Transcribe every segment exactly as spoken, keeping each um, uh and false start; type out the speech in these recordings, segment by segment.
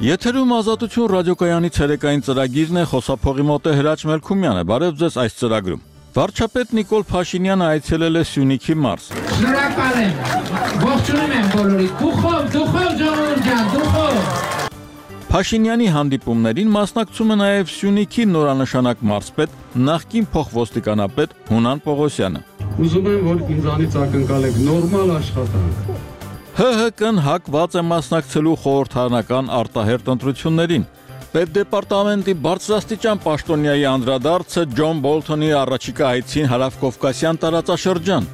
Եթերում ազատություն ռադիոկայանի ցերեկային ծրագիրն է, խոսափողի մոտ է Հրաչ Մելքումյանը։ Բարև ձեզ այս ծրագրում։ Վարչապետ Նիկոլ Փաշինյանը այցելել է Սյունիքի մարզ։ Շնորհակալ եմ։ Ողջունում եմ բոլորիդ։ Դուխով, դուխով ժողովուրդ ջան, դուխով։ Փաշինյանի հանդիպումներին մասնակցում է նաև Սյունիքի նորանշանակ մարզպետ, նախկին փոխոստիկանապետ Հունան Պողոսյանը։ Ուզում եմ, որ ինձանից ակնկալեք նորմալ աշխատանք։ Հ Հ Կ-ն հակված է մասնակցելու խորհրդարանական արտահերթ ընտրություններին։ Պետդեպարտամենտի բարձրաստիճան պաշտոնյայի անդրադարձը Ջոն Բոլթոնի առաջիկա այցին Հարավկովկասյան տարածաշրջան։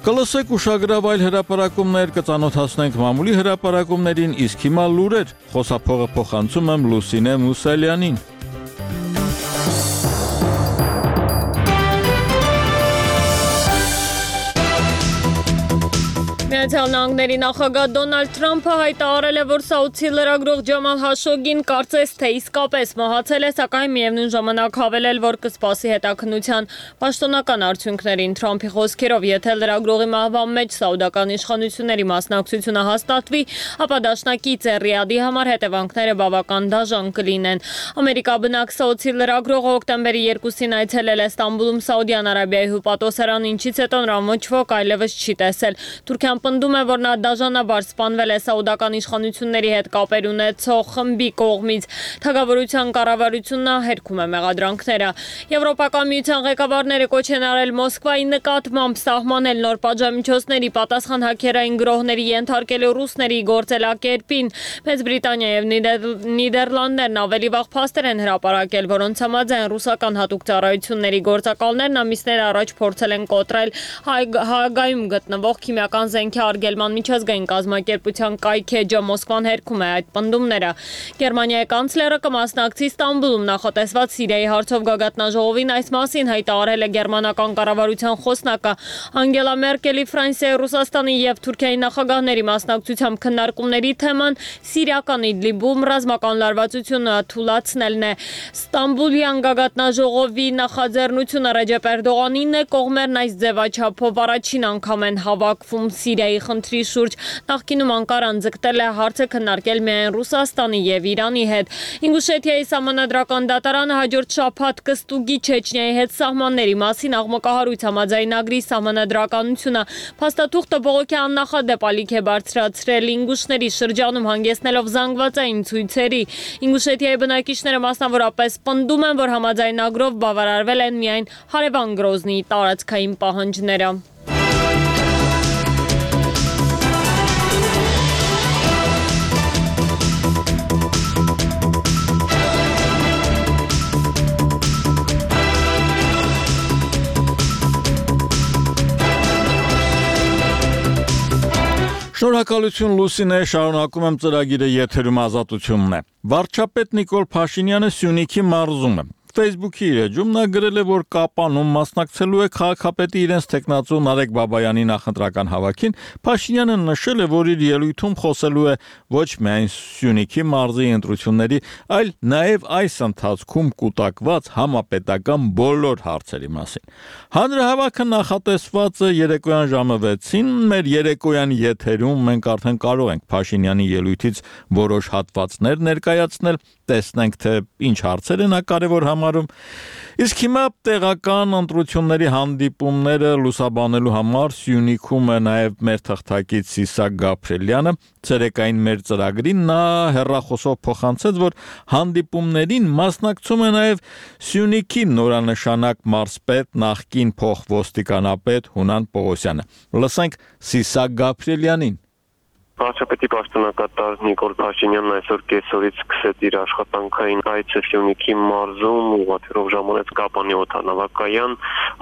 Կլսեք ուշագրավ այլ հրապարակումներ, կծանոթացնենք մամուլի հրապարակումներին, իսկ հիմա լուրեր, խոսափողը փոխանցում եմ Լուսինե Մուսալյանին։ Միացյալ Նահանգների նախագահ Դոնալդ Թրամփը հայտարարել է, որ Սաուդի լրագրող Ջամալ Հաշոգին կարծես թե իսկապես մահացել է, սակայն միևնույն ժամանակ հավելել, որ կսպասի հետաքննության պաշտոնական արդյունքներին։ Թրամփի խոսքերով, եթե լրագրողի մահվան մեջ սաուդական իշխանությունների մասնակցությունը հաստատվի, ապա դաշնակից է Ռիադի համար հետևանքները բավական դաժան կլինեն։ Ամերիկա բնակ Սաուդի լրագրողը հոկտեմբերի երկուսին այցելել է Ստամբուլում Սաուդյան Արաբիայի հյուպատոսարան, ինչից հետո նրան ոչ ոք այլևս չի տեսել։ Թուրքիան պնդում է, որ նա դաժանաբար սպանվել է սաուդական իշխանությունների հետ կապեր ունեցող խմբի կողմից։ Թագավորության կառավարությունը հերքում է մեղադրանքները։ Եվրոպական միության ղեկավարները կոչ են արել Մոսկվայի նկատմամբ սահմանել նոր պատժամիջոցների պատասխան հաքերային գրոհների ենթարկելու ռուսների գործելակերպին։ Մեծ Բրիտանիա եւ Նիդերլանդներն ավելի վաղ փաստեր են հրապարակել, որոնց համաձայն ռուսական հատուկ ծառայությունների գործակալներն ամիսներ առաջ փորձել են կոտրել Հաագայում գտնվող քիմիական զենքի արգելման միջազգային կազմակերպության կայքեջը։ Մոսկվան հերքում է այդ պնդումները։ Գերմանիայի կանցլերը կմասնակցի Ստամբուլում նախատեսված Սիրիայի հարցով գագաթնաժողովին, այս մասին հայտարարել է գերմանական կառավարության խոսնակը։ Անգելա Մերկելի, Ֆրանսիայի, Ռուսաստանի եւ Թուրքիայի նախագահների մասնակցությամբ քննարկումների թեման սիրիական Իդլիբում ռազմական լարվածությունը թուլացնելն է։ Ստամբուլյան գագաթնաժողովի նախաձեռնությունը Ռեջեփ Էրդողանին է, կողմերն այս ձևաչափով առաջին անգամ են հավաքվում Սիրիայի խնդրի շուրջ։ Նախկինում Անկարան ձգտել է հարցը քննարկել միայն Ռուսաստանի եւ Իրանի հետ։ Ինգուշեթիայի սահմանադրական դատարանը հաջորդ շաբաթ կստուգի Չեչնիայի հետ սահմանների մասին աղմկահարույց համաձայնագրի սահմանադրականությունը։ Փաստաթուղթը բողոքի աննախադեպ ալիք է բարձրացրել ինգուշների շրջանում, հանգեցնելով զանգվածային ցույցերի։ Ինգուշեթիայի բնակիչները մասնավորապես պնդում են, որ համաձայնագրով բավարարվել են միայն հարևան Գրոզնիի տարածքային պահանջները։ Շնորհակալություն Լուսինե, շարունակում եմ ծրագիրը, եթերում ազատությունն է։ Վարչապետ Նիկոլ Փաշինյանը Սյունիքի մարզում է։ Facebook-ի իր էջում նա գրել է, որ Կապանում մասնակցելու է քաղաքապետի իրենց տեխնացու Նարեկ Բաբայանի նախընտրական հավաքին։ Փաշինյանը նշել է, որ իր ելույթում խոսելու է ոչ միայն Սյունիքի մարզի ընտրությունների, այլ նաև այս ընթացքում կուտակված համապետական բոլոր հարցերի մասին։ Հանրահավաքը նախատեսված է երեկոյան ժամը վեցին, մեր երեկոյան եթերում մենք արդեն կարող ենք Փաշինյանի ելույթից որոշ հատվածներ ներկայացնել, տեսնենք թե ինչ հարցեր են կարևոր համարում։ Իսկ հիմա տեղական ընտրությունների հանդիպումները լուսաբանելու համար Սյունիքում է նաև մեր թղթակից Սիսակ Գաբրելյանը։ Ցերեկային մեր ծրագրին նա հեռախոսով փոխանցեց, որ հանդիպումներին մասնակցում է նաև Սյունիքի նորանշանակ մարզպետ, նախկին փոխոստիկանապետ Հունան Պողոսյանը։ Լսենք Սիսակ Գաբրելյանին։ Վարչապետի պաշտոնակատար Նիկոլ Փաշինյանն այսօր կեսօրից սկսեց իր աշխատանքային այցը Սյունիքի մարզում, ուղղաթիռով ժամանեց Կապանի օդանավակայան,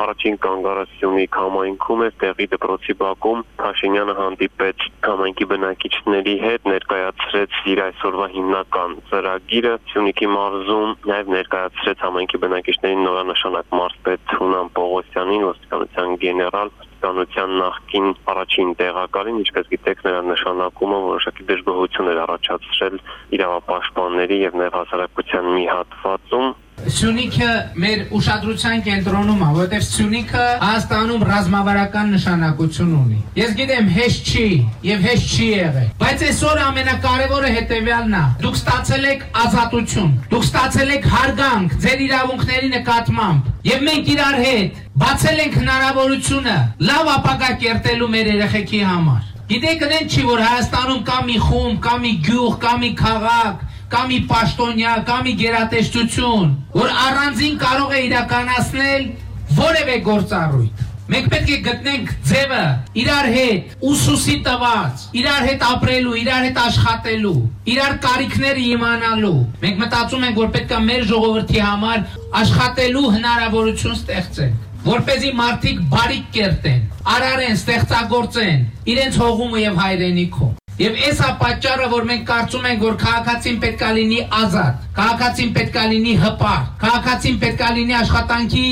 առաջին կանգառը Սյունիք համայնքում էր, տեղի դպրոցի բակում Փաշինյանը հանդիպեց համայնքի բնակիչների հետ, ներկայացրեց իր այսօրվա հիմնական ծրագիրը Սյունիքի մարզում, նաև ներկայացրեց համայնքի բնակիչներին նորանշանակ մարզպետ Հունան Պողոսյանին, ոստիկանության գեներալ, ոստիկանության նախկին առաջին տեղակալին, ինչպես գիտեք, նրա նշանակումը որոշակի դժգոհություն էր առաջացրել իրավապաշտպանների եւ նաեւ հասարակության մի հատվածում։ Սյունիքը մեր ուշադրության կենտրոնում է, որովհետև Սյունիքը Հայաստանում ռազմավարական նշանակություն ունի։ Ես գիտեմ, հեշտ չի եւ հեշտ չի եղել, բայց այսօր ամենակարևորը հետեւյալն է։ Դուք ստացել եք ազատություն, դուք ստացել եք հարգանք ձեր իրավունքների նկատմամբ, եւ մենք իրար հետ բացել ենք հնարավորությունը լավ ապագա կերտելու մեր երեխեքի համար։ Գիտեք, ընդ չի, որ Հայաստանում կա մի խումբ, կա մի գյուղ, կա մի քաղաք, կա մի պաշտոնյա, կա մի գերատեսչություն, որ առանձին կարող է իրականացնել որևէ գործառույթ։ Մենք պետք է գտնենք ձևը իրար հետ ուսուսի տված, իրար հետ ապրելու, իրար հետ աշխատելու, իրար կարիքները իմանալու։ Մենք մտածում ենք, որ պետք է մեր ժողովրդի համար աշխատելու հնարավորություն ստեղծենք, որպեսզի մարդիկ բարիք կերտեն, արարեն, ստեղծագործեն իրենց հողումը եւ հայրենիքում։ Եվ այս է պատճառը, որ մենք կարծում ենք, որ քաղաքացին պետք է լինի ազատ, քաղաքացին պետք է լինի հպարտ, քաղաքացին պետք է լինի աշխատանքի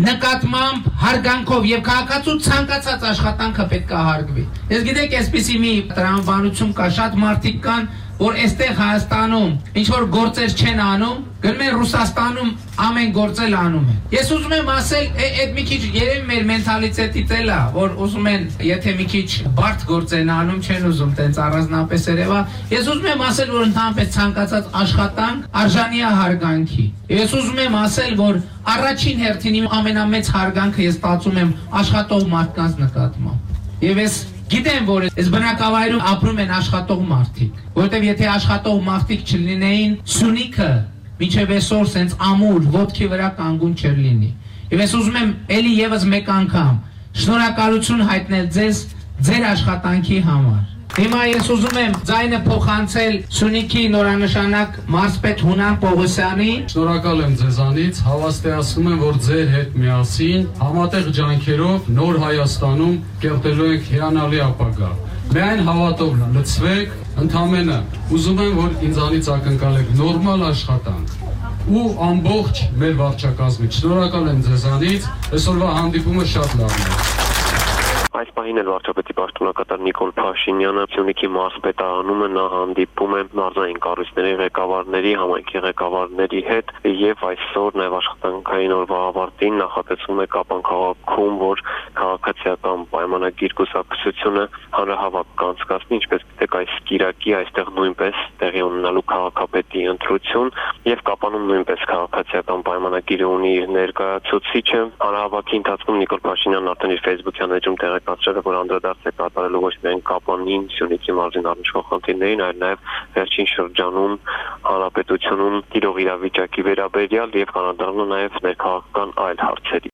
նկատմամբ հարգանքով եւ քաղաքացու ցանկացած աշխատանքը պետք է հարգվի։ Ես գիտեք, այսպիսի մի տրամաբանություն կա, շատ մարդիկ կան, որ այստեղ Հայաստանում ինչ որ գործեր չեն անում, գնում են Ռուսաստանում ամեն գործել անում են։ Ես ուզում եմ ասել, այդ մի քիչ երևի մեր մենթալիտետից էլ է, որ ուզում են, եթե մի քիչ բարդ գործ են անում, չեն ուզում տենց առանձնապես երևա։ Ես ուզում եմ ասել, որ ընդհանրապես ցանկացած աշխատանք արժանի է հարգանքի։ Ես ուզում եմ ասել, որ առաջին հերթին իմ ամենամեծ հարգանքը ես ստացում եմ աշխատող մարդկանց նկատմամբ։ Եվ ես գիտեմ, որ այս բնակավայրում ապրում են աշխատող մարդիկ, որովհետև եթե աշխատող մարդիկ չլինեին, Սյունիքը մինչև այսօր սենց ամուր ոտքի վրա կանգուն չէր լինի։ Եվ ես ուզում եմ էլի եւս մեկ անգամ շնորհակալություն հայտնել ձեզ ձեր աշխատանքի համար։ Հիմա ես ուզում եմ ձայնը փոխանցել Սյունիքի նորանշանակ մարզպետ Հունան Պողոսյանի։ Շնորհակալ եմ ձեզանից, հավաստիացնում եմ, որ ձեր հետ միասին համատեղ ջանքերով նոր Հայաստանում կերտելու ենք հիանալի ապագա։ Միայն հավատով լցվեք, ընդամենը ուզում եմ, որ ինձանից ակնկալեք նորմալ աշխատանք ու ամբողջ մեր վարչակազմից։ Շնորհակալ եմ ձեզանից, այսօրվա հանդիպումը շատ լավն է։ Այս պահին էլ վարչապետի պաշտոնակատար Նիկոլ Փաշինյանը Սյունիքի մարզպետարանում է, նա հանդիպում է մարզային կառույցների ղեկավարների, համայնքի ղեկավարների հետ եւ այսօր նաեւ աշխատանքային օրվա ավարտին նախատեսվում է Կապան քաղաքում, որ քաղաքացիական պայմանագիր կուսակցությունը հանրահավաք կանցկացնի, ինչպես գիտեք, այս կիրակի այստեղ նույնպես տեղի ունենալու քաղաքապետի ընտրություն եւ Կապանում նույնպես քաղաքացիական պայմանագիրը ունի իր ներկայացուցիչը։ Հանրահավաքի ընթացքում Նիկոլ Փաշինյանն արդեն իր Facebook-յան էջում տեղեկացրել է, որ անդրադարձ է կատարելու ոչ միայն Կապանին, Սյունիքի մարզին առնչվող խնդիրներին, այլ նաեւ վերջին շրջանում հանրապետությունում տիրող իրավիճակի վերաբերյալ եւ կանադառնա նաեւ ներքաղաքական այլ հարցերի։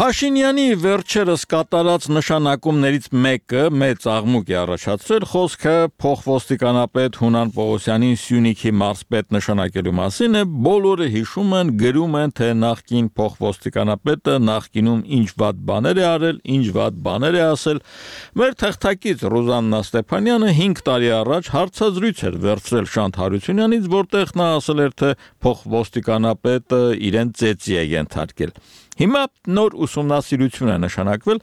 Փաշինյանի վերջերս կատարած նշանակումներից մեկը մեծ աղմուկ է առաջացրել խոսքը փոխոստիկանապետ Հունան Պողոսյանին Սյունիքի մարզպետ նշանակելու մասին է, բոլորը հիշում են, գրում են, թե նախկին փոխոստիկանապետը նախկինում ինչ վատ բաներ է արել, ինչ վատ բաներ է ասել։ Մեր թղթակից Ռուզաննա Ստեփանյանը հինգ տարի առաջ հարցազրույց էր վերցրել Շանթ Հարությունյանից, որտեղ նա ասել էր, թե փոխոստիկանապետը իրեն ծեծի է ենթարկել։ Հիմա նոր ուսումնասիրություն է նշանակվել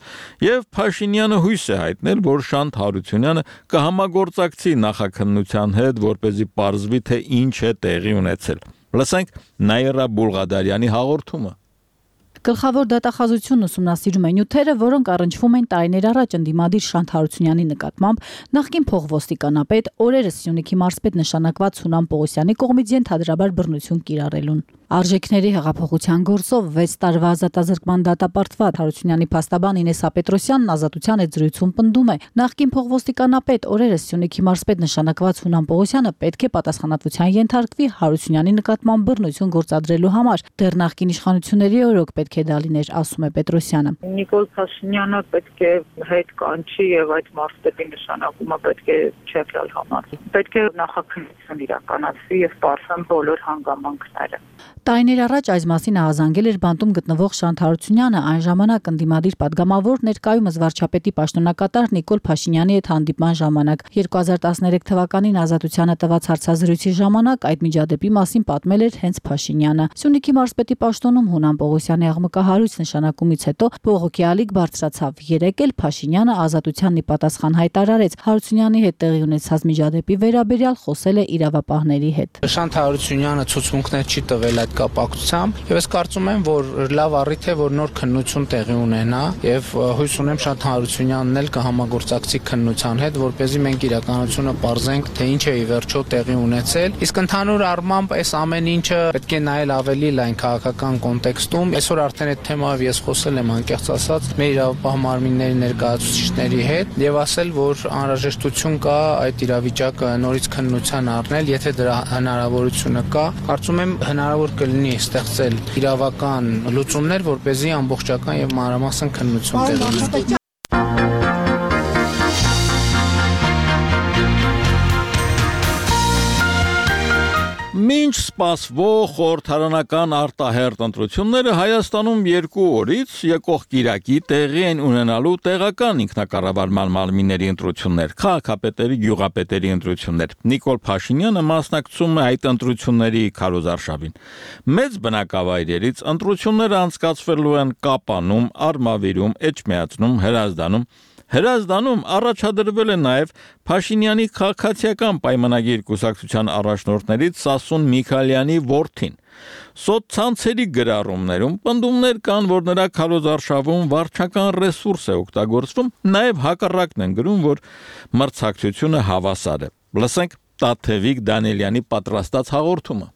եւ Փաշինյանը հույս է հայտնել, որ Շանթ Հարությունյանը կհամագործակցի նախաքննության հետ, որպեսզի պարզվի, թե ինչ է տեղի ունեցել։ Լսենք Նաիրա Բուլղադարյանի հաղորդումը։ Գլխավոր դատախազությունն ուսումնասիրում է նյութերը, որոնք առնչվում են տարիներ առաջ ընդդիմադիր Շանթ Հարությունյանի նկատմամբ նախկին փոխոստիկանապետ, օրերս Սյունիքի մարզպետ նշանակված Հունան Պողոսյանի կողմից ենթադրաբար բռնություն կիրառելուն։ Արժեքների հեղափոխության գործով վեց տարվա ազատազրկման դատապարտված Հարությունյանի փաստաբան Ինես Ապետրոսյանն ազատության այդ զրույցում պնդում է, նախկին փոխոստիկանապետ, օրերս Սյունիքի մարզպետ նշանակված Հունան Պողոսյանը պետք է պատասխանատվության ենթարկվի Հարությունյանի նկատմամբ բռնություն գործադրելու համար։ Դեռ նախկին իշխանությունների օրոք պետք է դա լիներ, ասում է Պետրոսյանը։ Նիկոլ Փաշինյանը պետք է հետ կանչի եւ այդ մարզպետի նշանակումը պետք է չեղյալ համարվի։ Պետք է նախաքննություն իրականացվի եւ պարզեն բոլոր հանգամանքները։ Տարիներ առաջ այս մասին ահազանգել էր բանտում գտնվող Շանթ Հարությունյանը, այն ժամանակ ընդդիմադիր պատգամավոր, ներկայումս վարչապետի պաշտոնակատար Նիկոլ Փաշինյանի հետ հանդիպման ժամանակ։ երկու հազար տասներեք թվականին Ազատությանը տված հարցազրույցի ժամանակ այդ միջադեպի մասին պատմել էր հենց Փաշինյանը։ Սյունիքի մարզպետի պաշտոնում Հունան Պողոսյանի աղմկահարույց նշանակումից հետո բողոքի ալիք բարձրացավ։ Երեկ էլ Փաշինյանը Ազատությանն ի պատասխան հայտարարեց Հարությունյանի հետ տեղի ունեցած միջադեպի վերաբերյալ խոսել է իրավապահների հետ։ Շանթ Հարությունյանը ցուցմունքներ չի տվել այդ կապակցությամբ, եւ ես կարծում եմ, որ լավ առիթ է, որ նոր քննություն տեղի ունենա, եւ հույս ունեմ Շանթ Հարությունյանն էլ կհամագործակցի քննության հետ, որպեսզի մենք իրականությունը պարզենք, թե ինչ է ի վերջո տեղի ունեցել։ Իսկ ընդհանուր առմամբ այս ամեն ինչը պետք է նայել ավելի լայն քաղաքական կոնտեքստում։ Այսօր արդեն այդ թեմայով ես խոսել եմ անկեղծ ասած մեր իրավապահ մարմինների ներկայացուցիչների հետ եւ ասել, որ անհրաժեշտություն կա այդ իրավիճակը նորից քննության առնել, եթե դրա հնարավորությունը կա։ Կարծում եմ հնարավոր կլինի ստեղծել իրավական լուծումներ, որպեսզի ամբողջական եւ մանրամասն քննություն տեղի ունենա։ Մինչ սպասվող խորհրդարանական արտահերթ ընտրությունները Հայաստանում երկու օրից եկող կիրակի տեղի են ունենալու տեղական ինքնակառավարման մարմինների ընտրություններ, քաղաքապետերի, գյուղապետերի ընտրություններ։ Նիկոլ Փաշինյանը մասնակցում է այդ ընտրությունների քարոզարշավին։ Մեծ բնակավայրերից ընտրությունները անցկացվելու են Կապանում, Արմավիրում, Էջմիածնում, Հրազդանում։ Հրազդանում առաջադրվել է նաև Փաշինյանի քաղաքացիական պայմանագիր կուսակցության առաջնորդներից Սասուն Միքայելյանի որդին։ Սոցցանցերի գրառումներում պնդումներ կան, որ նրա քարոզարշավում վարչական ռեսուրս է օգտագործվում, նաև հակառակն են գրում, որ մրցակցությունը հավասար է։ Լսենք Տաթևիկ Դանիելյանի պատրաստած հաղորդումը։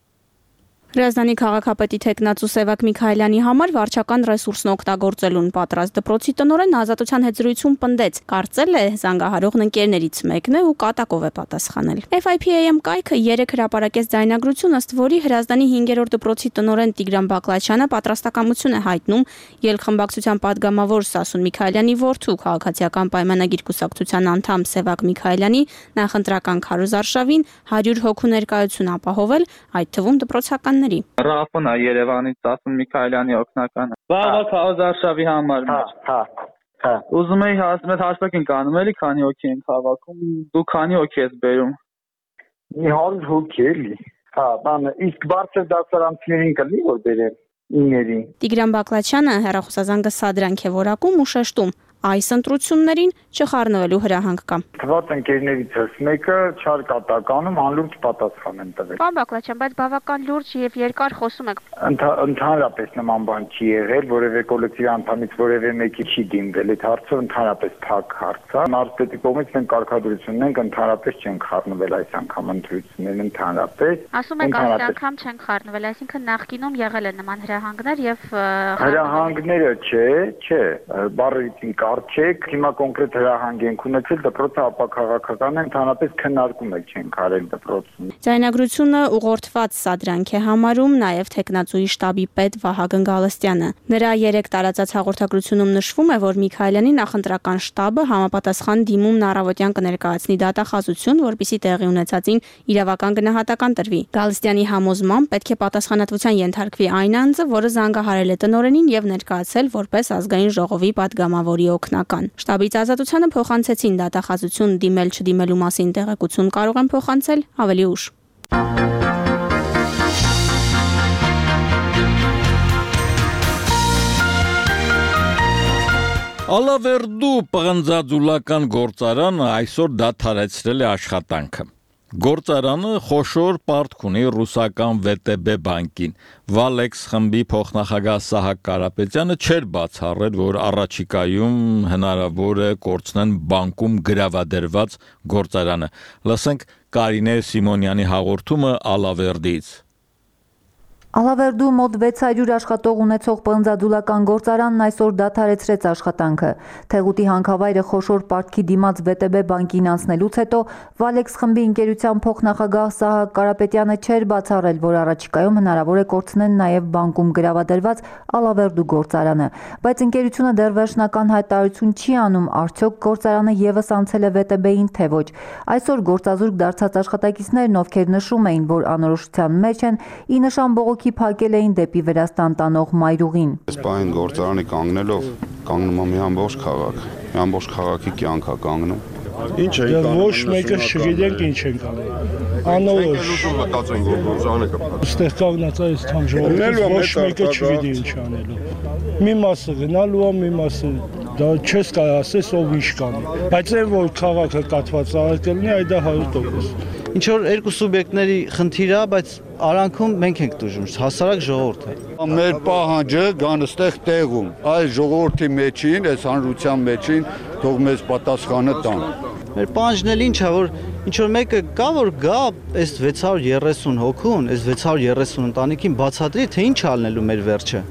Հրազդանի քաղաքապետի թեկնածու Սևակ Միքայելյանի համար վարչական ռեսուրսն օգտագործելուն պատրաստ դպրոցի տնօրեն Ազատության հետ զրույցում պնդեց, կարծել է զանգահարողն ընկերներից մեկն է ու կատակով է պատասխանել։ F I P A M կայքը երեք հրապարակեց ձայնագրություն, ըստ որի Հրազդանի հինգերորդ դպրոցի տնօրեն Տիգրան Բակլաչյանը պատրաստակամություն է հայտնում ելքխմբակցության падգամավոր Սասուն Միքայելյանի որդու քաղաքացիական պայմանագիր կուսակցության անդամ Սևակ Միքայելյանի նախընտրական քարոզարշավին հարյուր հոգու ներկայություն ապահովել, այդ թվում դպրոցական Ռաֆն է Երևանից Սասուն Միքայելյանի օգնականը։ Վաղվա քարոզարշավի համար։ Հա, հա, հա։ Ուզում էի հասնել հաշվեք ենք անում, էլի քանի հոգի ենք հավաքում։ Դու քանի հոգի ես բերում։ Մի հարյուր հոգի էլի։ Հա, բան, իսկ բարձր դասարանցիներին կլինի որ բերեմ իների։ Տիգրան Բակլաչյանը հեռախոսազանգը սադրանք է որակում ու շեշտում։ Այս ընտրություններին չխառնվելու հրահանգ կա։ Թվաց ընկերներիցս մեկը չար կատականում անլուրջ պատասխան են տվել։ Պարոն Բակլաչյան, բայց բավական լուրջ եւ երկար խոսում եք։ Ընդհանրապես նման բան չի եղել, որևէ կոլեկտիվ անդամից որևէ մեկի չի դիմվել։ Այդ հարցը ընդհանրապես փակ հարց է։ Մարզպետի կողմից մենք կարգադրություն ունենք, ընդհանրապես չեն խառնվել այս անգամ ընտրություններն ընդհանրապես։ Ասում եք այս անգամ չեն խառնվել, այսինքն նախկինում եղել են նման հրահանգներ եւ հրահանգները չէ, չէ, բառերից Արչեք, հիմա կոնկրետ հրահանգ ենք ունեցել, դպրոցը ապաքաղաքական է, ընդհանրապես քննարկում եք չենք արել դպրոցում։ Ձայնագրությունը ուղղորդված սադրանք է համարում նաև թեկնածուի շտաբի պետ Վահագն Գալստյանը։ Նրա երեք տարածած հաղորդագրությունում նշվում է, որ Միքայելյանի նախընտրական շտաբը համապատասխան դիմումն առավոտյան կներկայացնի դատախազություն, որպիսի տեղի ունեցածին իրավական գնահատական տրվի։ Գալստյանի համոզմամբ պետք է պատասխանատվության ենթարկվի այն անձը, որը զանգահարել է տնօրենին եւ ներկայացել որպես ազգային ժողովի падգամավորի օգնական։ Շտաբից Ազատությանը փոխանցեցին դատախազություն դիմել չդիմելու մասին տեղեկություն կարող են փոխանցել ավելի ուշ։ Ալավերդու պղնձաձուլական գործարանը այսօր դադարեցրել է աշխատանքը։ Գործարանը խոշոր պարտք ունի ռուսական V T B բանկին։ Valex խմբի փոխնախագահ Սահակ Կարապետյանը չէր բացառել, որ առաջիկայում հնարավոր է կորցնեն բանկում գրավադրված գործարանը։ Լսենք Կարինե Սիմոնյանի հաղորդումը Ալավերդից։ Ալավերդու մոտ վեց հարյուր աշխատող ունեցող պղնձաձուլական գործարանն այսօր դադարեցրեց աշխատանքը։ Թեղուտի հանքավայրը խոշոր պարտքի դիմաց V T B բանկին անցնելուց հետո Valex խմբի ընկերության փոխնախագահ Սահակ Կարապետյանը չէր բացառել, որ առաջիկայում հնարավոր է կորցնեն նաև բանկում գրավադրված Ալավերդու գործարանը, բայց ընկերությունը դեռ վերջնական հայտարարություն չի անում, արդյոք գործարանը եւս անցել է V T B-ին թե ոչ։ Այսօր գործազուրկ դարձած աշխատակիցներն, ովքեր նշում էին, որ անորոշության մեջ են, ի նշան բողոքի քաղաքի փակել էին դեպի Վրաստան տանող մայրուղին։ Այս պահին գործարանի կանգնելով կանգնում է մի ամբողջ քաղաք, մի ամբողջ քաղաքի կյանք է կանգնում։ Ինչ է կանգնում։ Ոչ մեկը չգիտենք ինչ են կանգնում։ Անորոշ մտածեն որ գործարանը կփակվի։ Այստեղ կանգնած է այս թամ ժողովուրդը ոչ մեկը չգիտի ինչ անելու։ Մի մասը գնալու է, մի մասը դա չես կարող ասես ով ինչ կանի։ Բայց այն որ քաղաքը կատված է կլինի, այդ դա հարյուր տոկոս։ Ինչ որ երկու սուբյեկտների խնդիր է, բայց արանքում մենք ենք դժում, հասարակ ժողովուրդը։ Մեր պահանջը գան այստեղ տեղում, այս ժողովրդի մեջին, այս հանրության մեջին թող մեզ պատասխանը տան։ Մեր պահանջն էլ ինչ է, որ ինչ որ մեկը կա, որ գա այս վեց հարյուր երեսուն հոգուն, այս վեց հարյուր երեսուն ընտանիքին բացատրի, թե ինչ ալնելու մեր վերջը։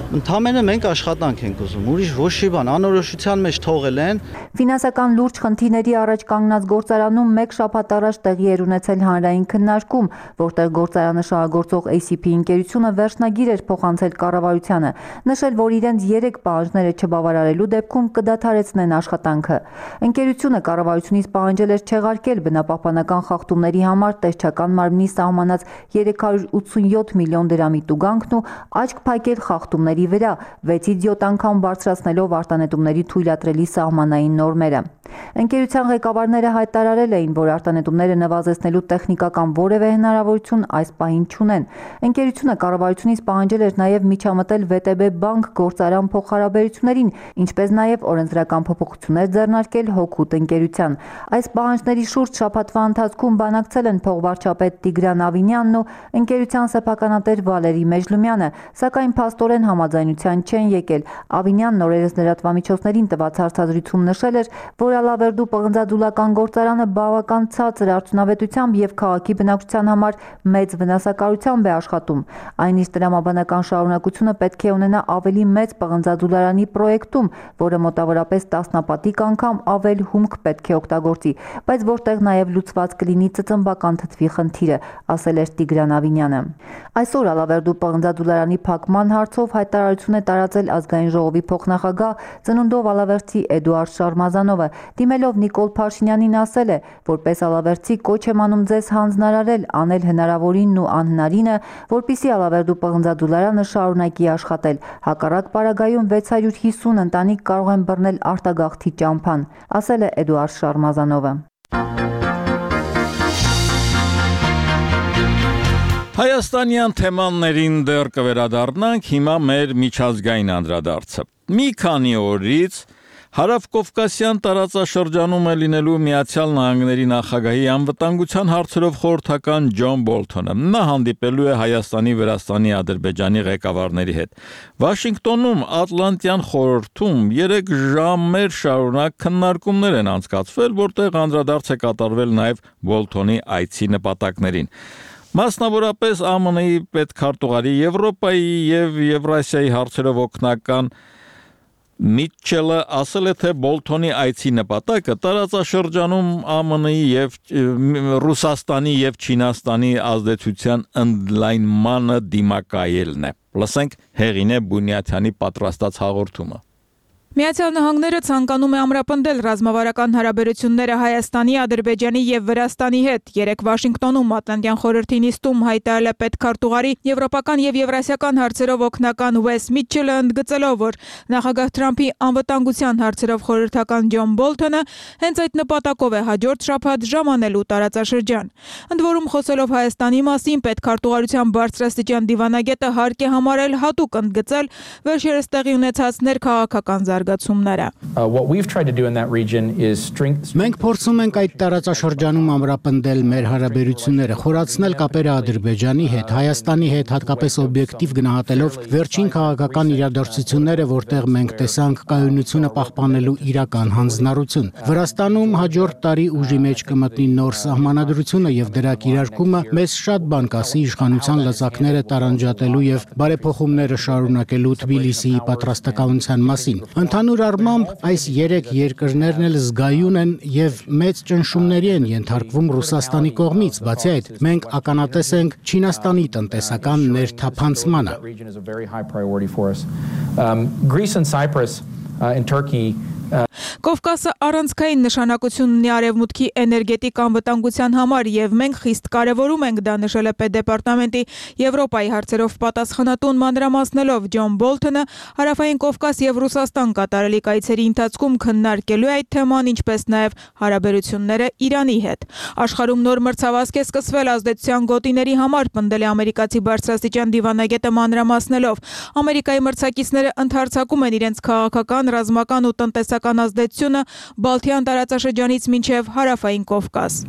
Ընդհանրապես մենք աշխատանք ենք ուզում, ուրիշ ոչ մի բան, անորոշության մեջ թողել են։ Ֆինանսական լուրջ խնդիրների առաջ կանգնած գործարանում մեկ շաբաթ առաջ տեղի էր ունեցել հանրային քննարկում, որտեղ գործարանը շահագործող A C P ընկերությունը վերջնագիր էր փոխանցել կառավարությանը, նշել, որ իրենց երեք պահանջները չբավարարելու դեպքում կդադարեցնեն աշխատանքը։ Ընկերությունը կառավարությունից պահանջել էր չեղարկել բնապահպանական խախտումների համար տեսչական մարմնի սահմանած երեք հարյուր ութսունյոթ միլիոն դրամի տուգանքն ու աչք փակել խախտումների վրա, վեցից յոթ անգամ բարձրացնելով արտանետումների թույլատրելի սահմանային նորմերը։ Ընկերության ղեկավարները հայտարարել էին, որ արտանետումները նվազեցնելու տեխնիկական որևէ հնարավորություն այս պահին չունեն։ Ընկերությունը կառավարությունից պահանջել էր նաև միջամտել V T B բանկ գործարան փոխհարաբերություններին, ինչպես նաև օրենսդրական փոփոխություններ ձեռնարկել հօգուտ ընկերության։ Այս պահանջների շուրջ շաբաթվա ընթացքում բանակցել են փոխվարչապետ Տիգրան Ավինյանն ու ընկերության սեփականատեր Վալերի Մեջլումյանը, սակայն փաստորեն համաձայնության չեն եկել։ Ավինյանն օրերս լրատվամիջոցներին տված հարցազրույցում նշել էր, որ Ալավերդու պղնձադուլական գործարանը բավական ցածր արդյունավետությամբ եւ քաղաքի բնակչության համար մեծ վնասակարությամբ է աշխատում։ Այնիշ տրամաբանական շարունակությունը պետք է ունենա ավելի մեծ պղնձադուլարանի պրոյեկտում, որը մոտավորապես տասնապատիկ անգամ ավել հումք պետք է օգտագործի, բայց որտեղ նաեւ լուծված կլինի ծծմբական թթվի խնդիրը, ասել էր Տիգրան Ավինյանը։ Այսօր Ալավերդու պղնձադուլարանի փակման հարցով հայտարարություն է տարածել ազգային ժողովի փոխնախագահ ծնունդով ալավերդցի Էդուարդ Շարմազանովը, դիմելով Նիկոլ Փաշինյանին ասել է, որպես ալավերդցի կոչ եմ անում ձեզ հանձնարարել անել հնարավորինն ու անհնարինը, որպիսի Ալավերդու պղնձադուլարանը շարունակի աշխատել։ Հակառակ պարագայում վեց հարյուր հիսուն ընտանիք կարող են բռնել արտագաղթի ճամփան, ասել է Էդուարդ Շարմազանովը։ Հայաստանյան թեմաներին դեռ կվերադառնանք, հիմա մեր միջազգային անդրադարձը։ Մի քանի օրից Հարավկովկասյան տարածաշրջանում է լինելու Միացյալ Նահանգների նախագահի անվտանգության հարցերով խորհրդական Ջոն Բոլթոնը։ Նա հանդիպելու է Հայաստանի, Վրաստանի, Ադրբեջանի ղեկավարների հետ։ Վաշինգտոնում Ատլանտյան խորհրդում երեք ժամեր շարունակ քննարկումներ են անցկացվել, որտեղ անդրադարձ է կատարվել նաև Բոլթոնի այցի նպատակներին։ Մասնավորապես A M N-ի պետքարտուղարի Եվրոպայի եւ Եվրասիայի հարցերով օգնական Միչելը ասել է, թե Բոլթոնի այցի նպատակը տարածաշրջանում A M N-ի եւ Ռուսաստանի եւ Չինաստանի ազդեցության ընդլայնմանը դիմակայելն է։ Լսենք Հեղինե Բունյաթյանի պատրաստած հաղորդումը։ Միացյալ Նահանգները ցանկանում է ամրապնդել ռազմավարական հարաբերությունները Հայաստանի, Ադրբեջանի եւ Վրաստանի հետ։ Երեք Վաշինգտոնում Ատլանտյան խորհրդի նիստում հայտարարել է պետքարտուղարի եվրոպական եւ եվրասիական հարցերով օգնական Ուես Միչելը, ընդգծելով, որ նախագահ Թրամփի անվտանգության հարցերով խորհրդական Ջոն Բոլթոնը հենց այդ նպատակով է հաջորդ շաբաթ ժամանելու տարածաշրջան։ Ընդ որում, խոսելով Հայաստանի մասին, պետքարտուղարության բարձրաստիճան դիվանագետը հարկ է համարել հատուկ ընդգծել վերջերս տեղի ունեցած ներքաղաքական զարգացումները։ Մենք փորձում ենք այդ տարածաշրջանում ամրապնդել մեր հարաբերությունները, խորացնել կապերը Ադրբեջանի հետ, Հայաստանի հետ, հատկապես օբյեկտիվ գնահատելով վերջին քաղաքական իրադարձությունները, որտեղ մենք տեսանք կայունությունը պահպանելու իրական հանձնառություն։ Վրաստանում հաջորդ տարի ուժի մեջ կմտնի նոր սահմանադրությունը եւ դրա կիրարկումը մեզ շատ բան կասի իշխանության լծակները տարանջատելու եւ բարեփոխումները շարունակելու Թբիլիսիի պատրաստակամության մասին։ Ընդհանուր առմամբ այս երեք երկրներն էլ զգայուն են եւ մեծ ճնշումների են ենթարկվում Ռուսաստանի կողմից, բացի այդ մենք ականատես ենք Չինաստանի տնտեսական ներթափանցմանը։ Կովկասը առանցքային նշանակություն ունի Արևմուտքի էներգետիկ անվտանգության համար եւ մենք խիստ կարեւորում ենք դա, նշել է Պետդեպարտամենտի Եվրոպայի հարցերով պատասխանատուն մանրամասնելով Ջոն Բոլթոնը Հարավային Կովկաս եւ Ռուսաստան կատարելիք այցերի ընթացքում քննարկելու է այդ թեման, ինչպես նաեւ հարաբերությունները Իրանի հետ։ Աշխարհում նոր մրցավազք է սկսվել ազդեցության գոտիների համար, պնդել է ամերիկացի բարձրաստիճան դիվանագետը մանրամասնելով։ Ամերիկայի մրցակիցները ընդհանրացակում են իրենց քաղաքական, ռազմական ու տնտեսական ազդեցությունը Բալթյան տարածաշրջանից մինչև Հարավային Կովկաս։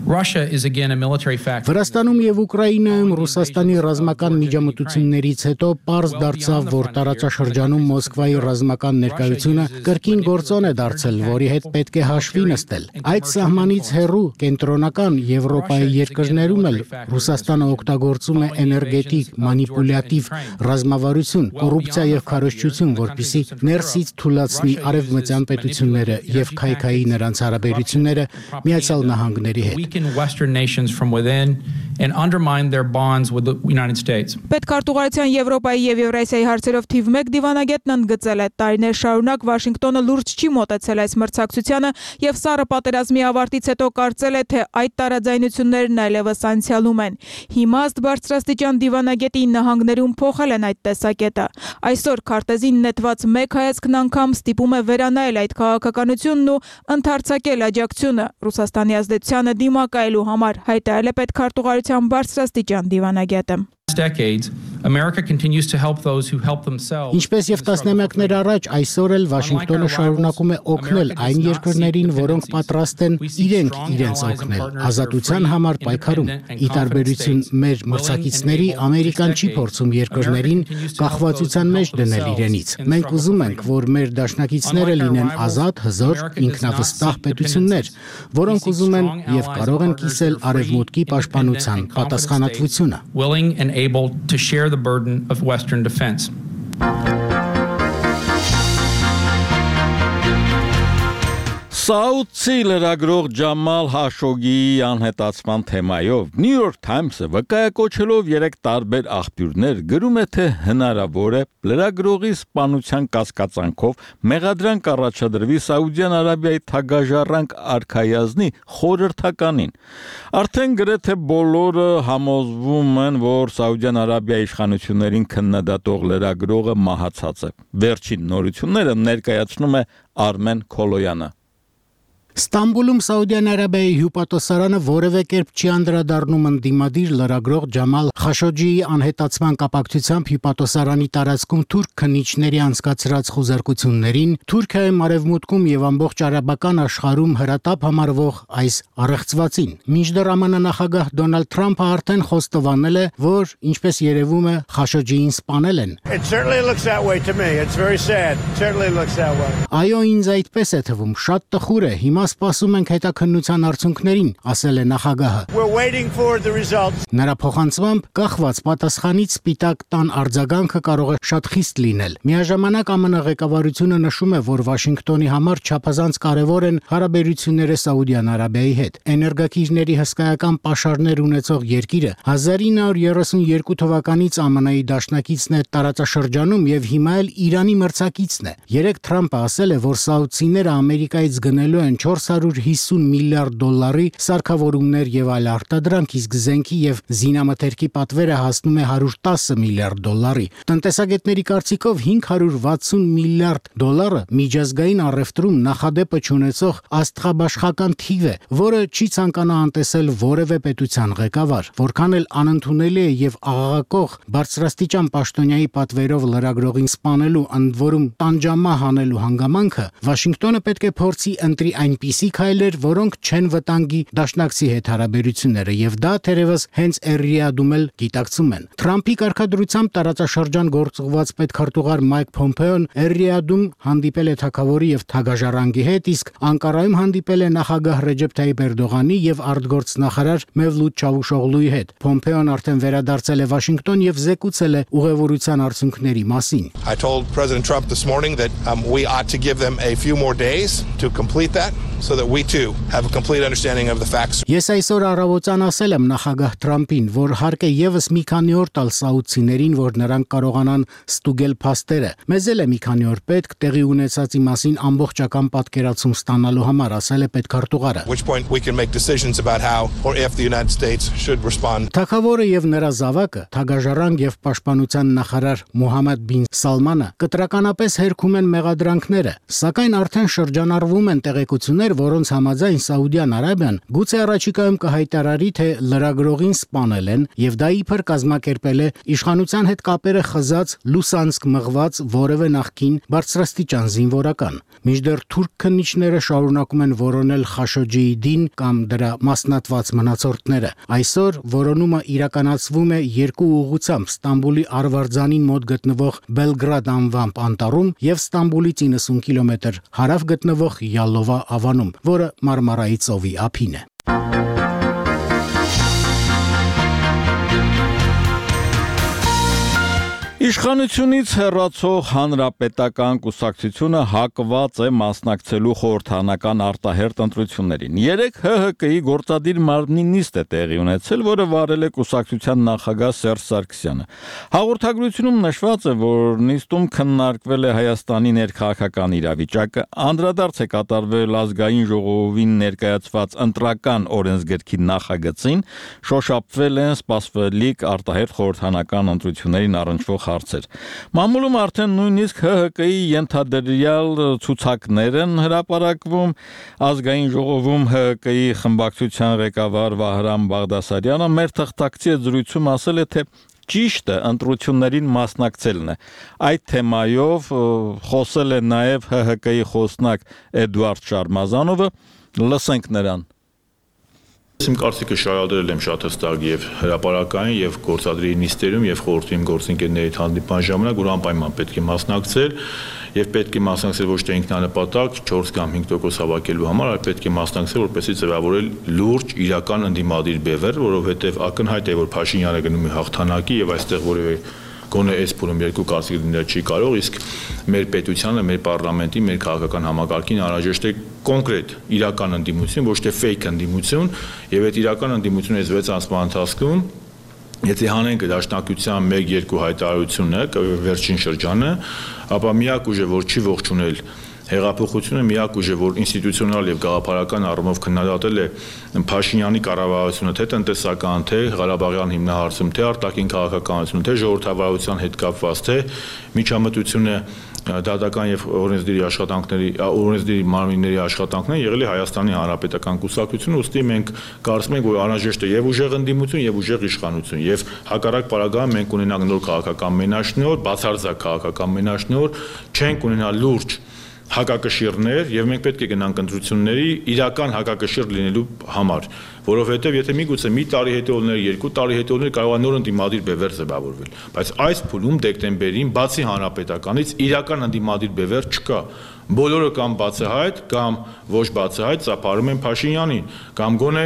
Russia is again a military factor. Վրաստանում եւ Ուկրաինայում Ռուսաստանի ռազմական միջամտություններից հետո պարզ դարձավ, որ տարածաշրջանում Մոսկվայի ռազմական ներկայությունը կրկին գործոն է դարձել, որի հետ պետք է հաշվի նստել։ Այդ սահմանից հեռու կենտրոնական Եվրոպայի երկրներում էլ Ռուսաստանը օգտագործում է էներգետիկ, մանիպուլյատիվ ռազմավարություն, կոռուպցիա եւ քարոզչություն, որպեսզի ներսից թուլացնի արևմտյան պետությունները եւ քայքայի նրանց հարաբերությունները Միացյալ Նահանգների հետ։ Western nations from within and undermine their bonds with the United States. Պետքարտուղարության Եվրոպայի եւ Եվրասիայի հարցերով թիվ մեկ դիվանագետն ընդգծել է, տարիներ շարունակ Վաշինգտոնը լուրջ չի մոտեցել այս մրցակցությանը եւ սառը պատերազմի ավարտից հետո կարծել է, թե այդ տարաձայնություններն այլևս անցյալում են։ Հիմա ըստ բարձրաստիճան դիվանագետի նահանգներում փոխել են այդ տեսակետը։ Այսօր քարտեզին նետված մեկ հայացքն անգամ ստիպում է վերանայել այդ քաղաքականությունն ու ընդարձակել աջակցությունը Ռուսաստանի ազդեցությանը դիմակայելու համար, հայտարարել է պետքարտուղարության բարձրաստիճան դիվանագետը։ Decades, America continues to help those who help themselves. Ինչպես եւ տասնամյակներ առաջ, այսօր էլ Վաշինգտոնը շարունակում է օգնել այն երկրներին, որոնք պատրաստ են իրենք իրենց օգնել, ազատության համար պայքարում։ Ի տարբերություն մեր մրցակիցների, Ամերիկան չի փորձում երկրներին կախվածության մեջ դնել իրենից։ Մենք ուզում ենք, որ մեր դաշնակիցները լինեն ազատ, հզոր, ինքնավստահ պետություններ, որոնք ուզում են եւ կարող են կիսել արևմուտքի պաշտպանության պատասխանատվությունը։ Willing and able to share the burden of Western defense. Սաուդցի լրագրող Ջամալ Հաշոգիի անհետացման թեմայով New York Times-ը վկայակոչելով երեք տարբեր աղբյուրներ գրում է, թե հնարավոր է լրագրողի սպանության կասկածանքով մեղադրանք առաջադրվի Սաուդյան Արաբիայի թագաժառանգ արքայազնի խորհրդականին։ Արդեն գրեթե բոլորը համոզվում են, որ Սաուդյան Արաբիայի իշխանություններին քննադատող լրագրողը մահացած է։ Վերջին նորությունները ներկայացնում է Արմեն Քոլոյանը։ Ստամբուլում Սաուդյան Արաբիայի հյուպատոսարանը որևէ կերպ չի անդրադառնում ընդդիմադիր լրագրող Ջամալ Խաշոջիի անհետացման կապակցությամբ հյուպատոսարանի տարածքում թուրք քննիչների անցկացրած խուզարկություններին, Թուրքիայում, Արևմուտքում եւ ամբողջ արաբական աշխարհում հրատապ համարվող այս առեղծվածին։ Մինչդեռ ԱՄՆ նախագահ Դոնալդ Թրամփը արդեն խոստովանել է, որ ինչպես երևում է, Խաշոջիին սպանել են։ Այո, ինձ այդպես է թվում, շատ տխուր է։ Հիմա սպասում ենք հետաքննության արդյունքներին, ասել է նախագահը։ Նրա փոխանցմամբ կախված պատասխանից Սպիտակ տան արձագանքը կարող է շատ խիստ լինել։ Միաժամանակ ԱՄՆ ղեկավարությունը նշում է, որ Վաշինգտոնի համար չափազանց կարևոր են հարաբերությունները Սաուդյան Արաբիայի հետ։ Էներգակիրների հսկայական պաշարներ ունեցող երկիրը հազար ինը հարյուր երեսունյոթ թվականից ԱՄՆ-ի դաշնակիցն է տարածաշրջանում եւ հիմա էլ Իրանի մրցակիցն է։ Երեք Թրամփը ասել է, որ սաուդցիները Ամերիկայից գնելու են չորս հարյուր հիսուն միլիարդ դոլարի սարքավորումներ եւ այլ արտադրանք, իսկ զենքի եւ զինամթերքի պատվերը հասնում է հարյուր տասը միլիարդ դոլարի։ Տնտեսագետների կարծիքով հինգ հարյուր վաթսուն միլիարդ դոլարը միջազգային առևտրում նախադեպը չունեցող աստղաբաշխական թիվ է, որը չի ցանկանա անտեսել որևէ պետության ղեկավար։ Որքան էլ անընդունելի է եւ աղաղակող բարձրաստիճան պաշտոնյայի պատվերով լրագրողին սպանելու, ընդ որում տանջամահ անելու հանգամանքը, Վաշինգտոնը պետք է փորձի ընտրի այնպիսի քայլեր, որոնք չեն վտանգի դաշնակցի հետ հարաբերությունները, եւ դա թերևս հենց Էրիադում էլ գիտակցում են։ Թրամփի կարգադրությամբ տարածաշրջան գործուղված պետքարտուղար Մայք Փոմպեոն Էրիադում հանդիպել է թագավորի եւ թագաժառանգի հետ, իսկ Անկարայում հանդիպել է նախագահ Ռեջեփ Թայիփ Էրդողանի եւ արտգործնախարար Մևլութ Չավուշօղլուի հետ։ Փոմպեոն արդեն վերադարձել է Վաշինգտոն եւ զեկուցել է ուղևորության արդյունքների մասին։ I told President Trump this morning that um, we ought to give them a few more days to complete that. so that we too have a complete understanding of the facts. Ես այսօր առավոտյան ասել եմ նախագահ Թրամփին, որ հարկ է եւս մի քանի օր տալ սաուդցիներին, որ նրանք կարողանան ստուգել փաստերը։ Մեզ էլ է մի քանի օր պետք տեղի ունեցածի մասին ամբողջական պատկերացում ստանալու համար, ասել է պետքարտուղարը։ Which point we can make decisions about how or if the United States should respond. Թագավորը եւ նրա զավակը, Թագաժառանգ եւ պաշտպանության նախարար Մոհամմեդ բին Սալմանը կտրականապես հերքում են մեղադրանքները, սակայն արդեն շրջանառվում են տեղեկություններ, որոնց համաձայն Սաուդյան Արաբիան գուցե առաջիկայում կհայտարարի, թե լրագրողին սպանել են եւ դա իբր կազմակերպել է իշխանության հետ կապերը խզած Լուսանսկ մղված որևէ նախկին բարձրաստիճան զինվորական։ Մինչդեռ թուրք քննիչները շարունակում են որոնել Խաշոջիին կամ դրա մասնատված մնացորդները։ Այսօր որոնումը իրականացվում է երկու ուղղությամբ՝ Ստամբուլի Արվարձանին մոտ գտնվող Բելգրադ անվամբ անտառում եւ Ստամբուլից իննսուն կիլոմետր հարավ գտնվող Յալովա ավանում, որը Մարմարայի ծովի ափին է։ Իշխանությունից հեռացող հանրապետական կուսակցությունը հակված է մասնակցելու խորհրդարանական արտահերթ ընտրություններին։ Երեկ Հ Հ Կ-ի գործադիր մարմնի նիստ է տեղի ունեցել, որը վարել է կուսակցության նախագահ Սերժ Սարգսյանը։ Հաղորդագրությունում նշված է, որ նիստում քննարկվել է Հայաստանի ներքաղաքական իրավիճակը, անդրադարձ է կատարվել ազգային ժողովին ներկայացված ընտրական օրենսգրքի նախագծին, շոշափվել են սպասվելիք արտահերթ խորհրդարանական ընտրություններին առնչվող հարցեր։ Մամուլում արդեն նույնիսկ Հ Հ Կ-ի ենթադրյալ ցուցակներ են հրապարակվում։ Ազգային ժողովում Հ Հ Կ-ի խմբակցության ղեկավար Վահրամ Բաղդասարյանը մեր թղթակցի զրույցում ասել է, թե ճիշտը ընտրություններին մասնակցելն է։ Այդ թեմայով խոսել է նաև Հ Հ Կ-ի խոսնակ Էդուարդ Շարմազանովը, լսենք նրան։ Իմ կարծիքը շարադրել եմ շատ հստակ եւ հրապարակային եւ գործադրի նիստերում եւ խորհրդի գործընկերների հանդիպման ժամանակ, որ անպայման պետք է մասնակցել եւ պետք է մասնակցել ոչ թե ինքնանպատակ չորս կամ հինգ տոկոս հավաքելու համար, այլ պետք է մասնակցել որպեսզի ձևավորել լուրջ իրական ընդդիմադիր բևեռ, որովհետեւ ակնհայտ է, որ Փաշինյանը գնում է հաղթանակի եւ այստեղ որևէ գոնե այս փուլում երկու կարծիք լինել չի կարող, իսկ մեր պետությանը, մեր պարլամենտի, մեր քաղաքական համակարգին անհրաժեշտ է կոնկրետ իրական ընդդիմություն, ոչ թե ֆեյք ընդդիմություն, եւ այդ իրական ընդդիմությունը այս վեց ամսվա ընթացքում եթե հանենք դաշնակցության մեկ երկու հայտարարությունը, վերջին շրջանը, ապա միակ ուժը, որ չի ողջունել հեղափոխությունը, միակ ուժը, որ ինստիտուցիոնալ եւ գաղափարական առումով քննադատել է Փաշինյանի կառավարությունը, թե տնտեսական, թե Ղարաբաղյան հիմնահարցում, թե արտաքին քաղաքականություն, թե ժողովրդավարության հետ կապված, թե միջամտությունը դատական եւ օրենսդիրի աշխատանքների, օրենսդիրի մարմինների աշխատանքն եղել է Հայաստանի Հանրապետական կուսակցությունը, ուստի մենք կարծում ենք, որ անհրաժեշտ է եւ ուժեղ ընդդիմություն եւ ուժեղ իշխանություն, եւ հակառակ պարագայում մենք ունենանք նոր քաղաքական մենաշնորհ, բացարձակ քաղաքական մենաշնորհ, չենք ունենա լուրջ հակակշիռներ եւ մենք պետք է գնանք ընտրությունների իրական հակակշիռ լինելու համար, որովհետեւ եթե միգուցե մի տարի հետեւողներ, երկու տարի հետեւողներ կարող է նոր ընդդիմադիր բևեռ ձևավորվել, բայց այս փուլում դեկտեմբերին բացի հանրապետականից իրական ընդդիմադիր բևեռ չկա։ Բոլորը կամ բացահայտ կամ ոչ բացահայտ ծափարում են Փաշինյանին կամ գոնե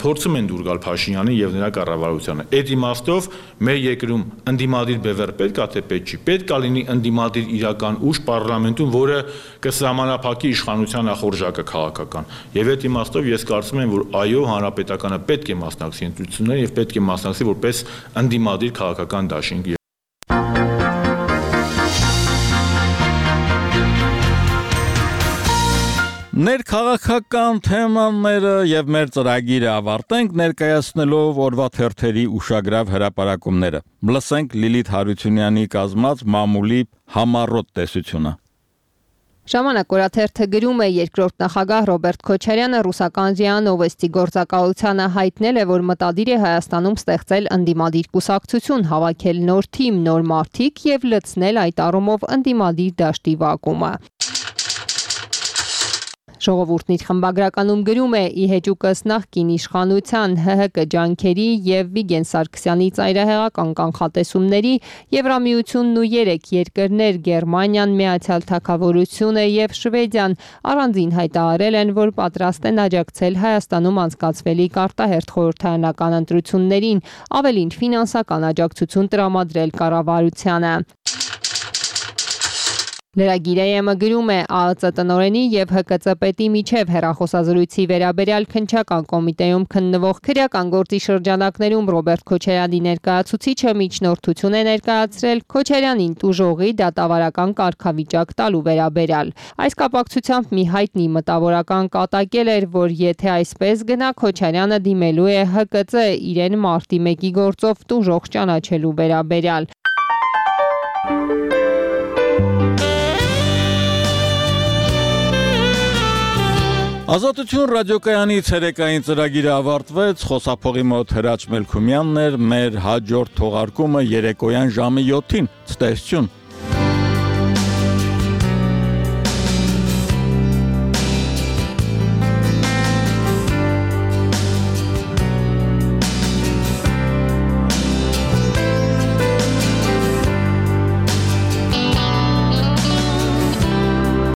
փորձում են դուր գալ Փաշինյանին եւ նրա կառավարությանը։ Այդ իմաստով մեր երկրում ընդդիմադիր բևեռ պետք է թե պետք չի։ Պետք է լինի ընդդիմադիր իրական ուժ պարլամենտում, որը կսահմանափակի իշխանության ախորժակը քաղաքական։ Եվ այդ իմաստով ես կարծում եմ, որ այո, հանրապետականը պետք է մասնակցի ընտրություններին եւ պետք է մասնակցի որպես ընդդիմադիր քաղաքական դաշինք։ Ներքաղաքական թեմաները եւ մեր ծրագիրը ավարտենք ներկայացնելով օրվա թերթերի ուշագրավ հրապարակումները։ Լսենք Լիլիթ Հարությունյանի կազմած մամուլի համառոտ տեսությունը։ Ժամանակ օրաթերթը գրում է երկրորդ նախագահ Ռոբերտ Քոչարյանը ռուսական ԶԻԱ Նովոստի գործակալությանը հայտնել է, որ մտադիր է Հայաստանում ստեղծել ընդդիմադիր կուսակցություն, հավաքել նոր թիմ, նոր մարդիկ եւ լցնել այդ առումով ընդդիմադիր դաշտի վակումը։ Ժողովուրդն իր խմբագրականում գրում է՝ ի հեճուկս նախկին իշխանության Հ Հ Կ ջանքերի եւ Վիգեն Սարգսյանի ծայրահեղական կանխատեսումների Եվրամիությունն ու երեք երկրներ Գերմանիան, Միացյալ Թագավորությունը եւ Շվեդիան առանձին հայտարարել են, որ պատրաստ են աջակցել Հայաստանում անցկացվելիք արտահերթ խորհրդարանական ընտրություններին, ավելին ֆինանսական աջակցություն տրամադրել կառավարությանը։ Լրագիրը գրում է ԱԱԾ տնօրենի եւ ՀԿՑ պետի միջև հեռախոսազրույցի վերաբերյալ քննչական կոմիտեում քննվող քրեական գործի շրջանակներում Ռոբերտ Քոչարյանի ներկայացուցիչը միջնորդություն է ներկայացրել Քոչարյանին տուժողի դատավարական կարգավիճակ տալու վերաբերյալ։ Այս կապակցությամբ մի հայտնի մտավորական կատակել էր, որ եթե այսպես գնա, Քոչարյանը դիմելու է ՀԿՑ իրեն մարտի մեկի գործով տուժող ճանաչելու վերաբերյալ։ Ազատություն ռադիոկայանի ցերեկային ծրագիրը ավարտվեց, խոսափողի մոտ Հրաչ Մելքումյանն էր, մեր հաջորդ թողարկումը երեկոյան ժամը յոթին։ Ցտեսություն։